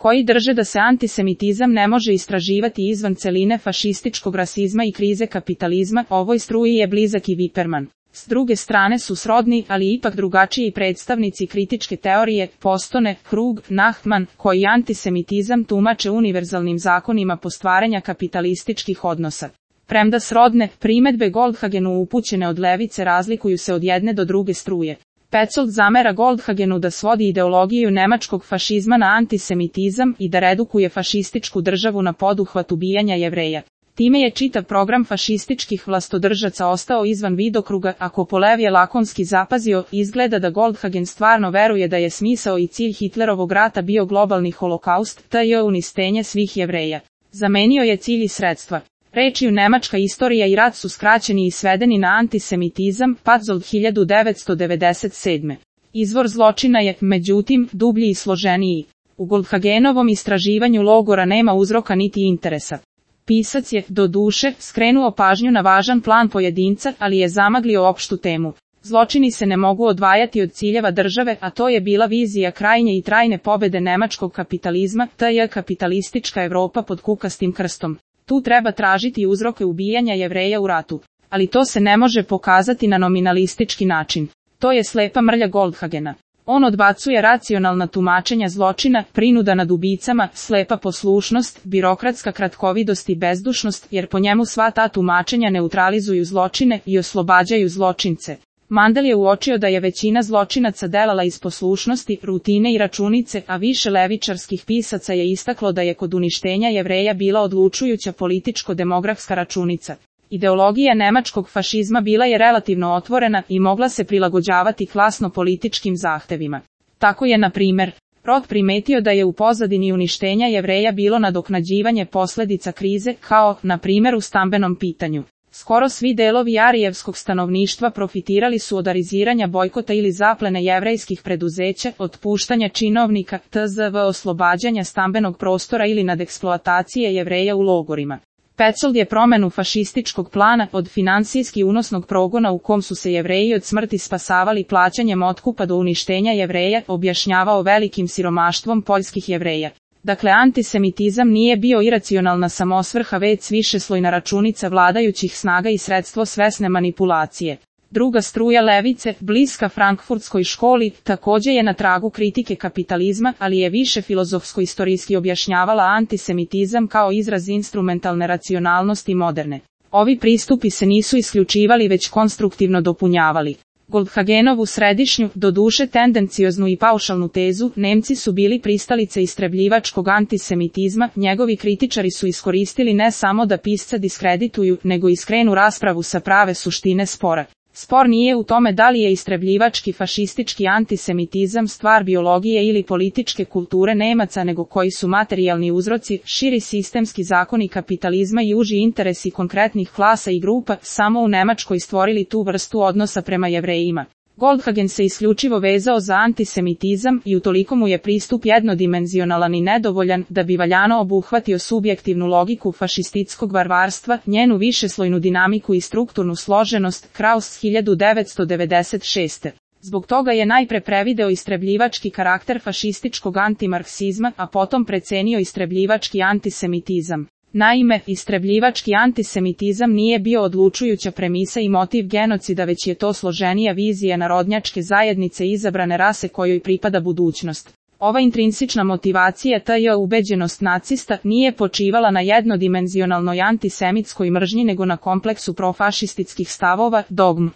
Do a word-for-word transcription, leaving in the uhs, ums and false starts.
koji drže da se antisemitizam ne može istraživati izvan celine fašističkog rasizma i krize kapitalizma, ovoj struji je blizak i Wiperman. S druge strane su srodni, ali ipak drugačiji predstavnici kritičke teorije, Postone, Krug, Nachman, koji antisemitizam tumače univerzalnim zakonima postvaranja kapitalističkih odnosa. Premda srodne primedbe Goldhagenu upućene od levice razlikuju se od jedne do druge struje. Petzold zamera Goldhagenu da svodi ideologiju nemačkog fašizma na antisemitizam i da redukuje fašističku državu na poduhvat ubijanja Jevreja. Time je čitav program fašističkih vlastodržaca ostao izvan vidokruga, ako Polev je lakonski zapazio, izgleda da Goldhagen stvarno veruje da je smisao i cilj Hitlerovog rata bio globalni holokaust, to je uništenje svih Jevreja. Zamenio je cilj i sredstva. Rečju nemačka istorija i rat su skraćeni i svedeni na antisemitizam, Petzold hiljadu devetsto devedeset sedme. Izvor zločina je, međutim, dublji i složeniji. U Goldhagenovom istraživanju logora nema uzroka niti interesa. Pisac je, do duše, skrenuo pažnju na važan plan pojedinca, ali je zamaglio opštu temu. Zločini se ne mogu odvajati od ciljeva države, a to je bila vizija krajnje i trajne pobede nemačkog kapitalizma, to je kapitalistička Evropa pod kukastim krstom. Tu treba tražiti uzroke ubijanja Jevreja u ratu. Ali to se ne može pokazati na nominalistički način. To je slepa mrlja Goldhagena. On odbacuje racionalna tumačenja zločina, prinuda nad ubicama, slepa poslušnost, birokratska kratkovidost i bezdušnost, jer po njemu sva ta tumačenja neutralizuju zločine i oslobađaju zločince. Mandel je uočio da je većina zločinaca delala iz poslušnosti, rutine i računice, a više levičarskih pisaca je istaklo da je kod uništenja Jevreja bila odlučujuća političko-demografska računica. Ideologija nemačkog fašizma bila je relativno otvorena i mogla se prilagođavati klasno-političkim zahtevima. Tako je, na primjer, Roth primetio da je u pozadini uništenja Jevreja bilo nadoknađivanje posljedica krize, kao, na primjer, u stambenom pitanju. Skoro svi delovi arijevskog stanovništva profitirali su od ariziranja bojkota ili zaplene jevrejskih preduzeća, otpuštanja činovnika, tzv. Oslobađanja stambenog prostora ili nadeksploatacije Jevreja u logorima. Petzold je promenu fašističkog plana od finansijski unosnog progona u kom su se Jevreji od smrti spasavali plaćanjem otkupa do uništenja Jevreja objašnjavao velikim siromaštvom poljskih Jevreja. Dakle, antisemitizam nije bio iracionalna samosvrha, već višeslojna računica vladajućih snaga i sredstvo svesne manipulacije. Druga struja levice, bliska frankfurtskoj školi, također je na tragu kritike kapitalizma, ali je više filozofsko-istorijski objašnjavala antisemitizam kao izraz instrumentalne racionalnosti moderne. Ovi pristupi se nisu isključivali, već konstruktivno dopunjavali. Goldhagenovu središnju, doduše tendencioznu i paušalnu tezu, Nemci su bili pristalice istrebljivačkog antisemitizma, njegovi kritičari su iskoristili ne samo da pisca diskredituju, nego i skrenu raspravu sa prave suštine spora. Spor nije u tome da li je istrebljivački fašistički antisemitizam stvar biologije ili političke kulture Nemaca, nego koji su materijalni uzroci, širi sistemski zakoni kapitalizma i uži interesi konkretnih klasa i grupa, samo u Nemačkoj stvorili tu vrstu odnosa prema Jevrejima. Goldhagen se isključivo vezao za antisemitizam i utoliko mu je pristup jednodimenzionalan i nedovoljan da bi valjano obuhvatio subjektivnu logiku fašističkog varvarstva, njenu višeslojnu dinamiku i strukturnu složenost, Kraus hiljadu devetsto devedeset šeste. Zbog toga je najpre prevideo istrebljivački karakter fašističkog antimarksizma, a potom precenio istrebljivački antisemitizam. Naime, istrebljivački antisemitizam nije bio odlučujuća premisa i motiv genocida, već je to složenija vizija narodnjačke zajednice izabrane rase kojoj pripada budućnost. Ova intrinsična motivacija, ta je ubeđenost nacista, nije počivala na jednodimenzionalnoj antisemitskoj mržnji nego na kompleksu profašističkih stavova, dogm.